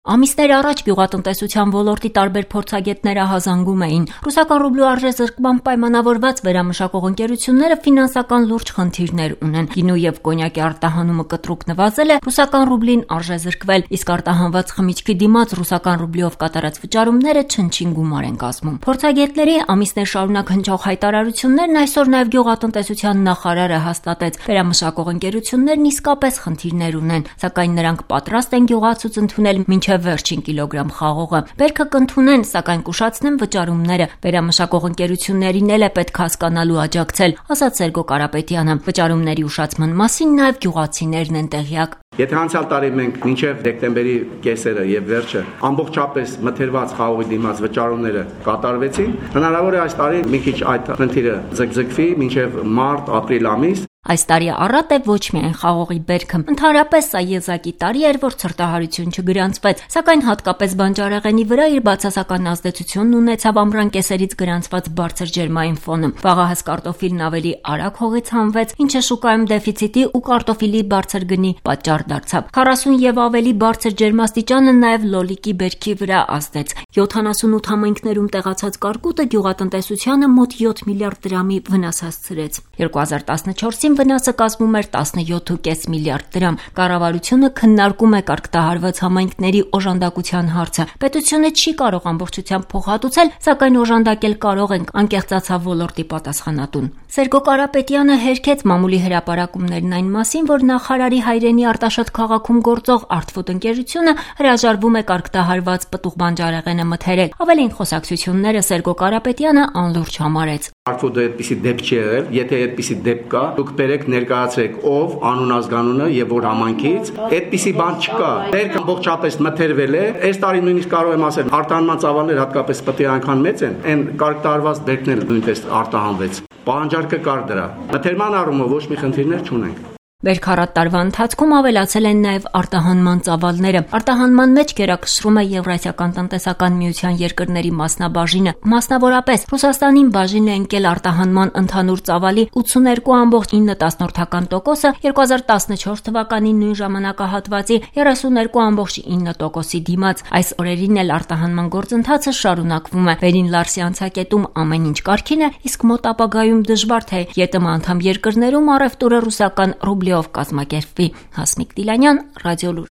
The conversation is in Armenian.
Ամիսներ առաջ գյուղատնտեսության ոլորտի տարբեր փորձագետները հազանգում էին. ռուսական ռուբլու արժեզրկմամբ պայմանավորված վերամշակող ընկերությունները ֆինանսական լուրջ խնդիրներ ունեն. գինու եւ կոնյակի արտահանումը կտրուկ նվազել է, ռուսական ռուբլին արժեզրկվել, իսկ արտահանված խմիչքի դիմաց ռուսական ռուբլիով կատարած վճարումները չնչին գումար են կազմում։ Փորձագետների ամիսներ շարունակ հնչող հայտարարություններն այսօր նաեւ գյուղատնտեսության նախարարը հաստատեց. վերամշակող ընկերություններն իսկապես խնդիրներ ունեն, սակայն նրանք պատրաստ են գյուղացուց ընդունել մինչև վերջին կիլոգրամ խաղողը։ Բերքը կընդունեն, սակայն կուշացնեն վճարումները։ Վերամշակող ընկերություններին էլ է պետք հասկանալու աջակցել, ասաց Սերգո Կարապետյանը։ Վճարումների ուշացման մասին նաև գյուղացիներն են տեղյակ։ Եթե անցյալ տարի մենք մինչև դեկտեմբերի կեսերը եւ վերջը ամբողջապես մթերված խաղողի դիմաց վճարումները կատարվեցին, հնարավոր է այս տարի մի քիչ այդ խնդիրը ձգձգվի մինչև մարտ-ապրիլ ամիս։ Այս տարի առատ է ոչ միայն խաղողի բերքը, ընդհանրապես սա եզակի տարի էր, որ ցրտահարություն չգրանցվեց, սակայն հատկապես բանջարեղենի վրա իր բացասական ազդեցությունն ունեցավ ամռան կեսերից գրանցված բարձր ջերմային ֆոնը։ Վաղահաս կարտոֆիլն ավելի արագ հողից հանվեց, ինչը շուկայում դեֆիցիտի ու կարտոֆիլի բարձր գնի պատճառ դարձավ։ 40 եւ ավելի բարձր ջերմաստիճանը նաև լոլիկի բերքի վրա ազդեց։ 78 համայնքներում տեղացած կարկուտը գյուղատնտեսությանը մոտ 7 միլիարդ դրամի վնաս հասցրեց։ 2014-ին վնասը կազմում էր 17.5 միլիարդ դրամ։ Կառավարությունը քննարկում է կարգտահարված համայնքների օժանդակության հարցը։ Պետությունը չի կարող ամբողջությամբ փոխհատուցել, սակայն օժանդակել կարող ենք, անկեղծացավ ոլորտի պատասխանատուն։ Սերգո Կարապետյանը հերքեց մամուլի հրապարակումներն այն մասին, որ նախարարի հայրենի Արտաշատ քաղաքում գործող Artfood ընկերությունը հրաժարվում է կարգտահարված պտուղ բանջարեղենը մթերել։ Ավելին խոսակցությունները Սերգո Կարապետյանը անլուրջ համարեց։ Artfood-ը այդպիսի դեպք չի եղել, եթե այդպիսի դեպք կա, դուք բերեք ներկայացրեք ով, անուն ազգանունը եւ որ համայնքից, այդպիսի բան չկա։ Բերքը ամբողջապես մթերվել է, այս տարի նույնիսկ կարող եմ ասել, արտահանման ծավալները հատկապես պտի այնքան մեծ են, այն կարգտահարված բերքն էլ նույնպես արտահանվեց։ Պահանջարկը կար դրա։ Մթերման առումով ոչ մի խնդիրներ չունենք։ Վերքառատ տարվա ընթացքում ավելացել են նաև արտահանման ծավալները։ Արտահանման մեջ գերակշռում է Եվրասիական տնտեսական միության երկրների մասնաբաժինը։ Մասնավորապես Ռուսաստանին բաժին է ընկել արտահանման ընդհանուր ծավալի 82.9%-ը, 2014 թվականի նույն ժամանակահատվածի 32.9%-ի դիմաց։ Այս օրերին էլ արտահանման գործընթացը շարունակվում է։ Վերին Լարսի անցակետում ամեն ինչ կարգին է, իսկ մոտ ապագայում դժվար թե ԵՏՄ անդամ երկրներում առևտուրը ռուսական ռուբլի կազմակերպվի։ Հասմիկ Տիլանյան, Ռադիոլուր։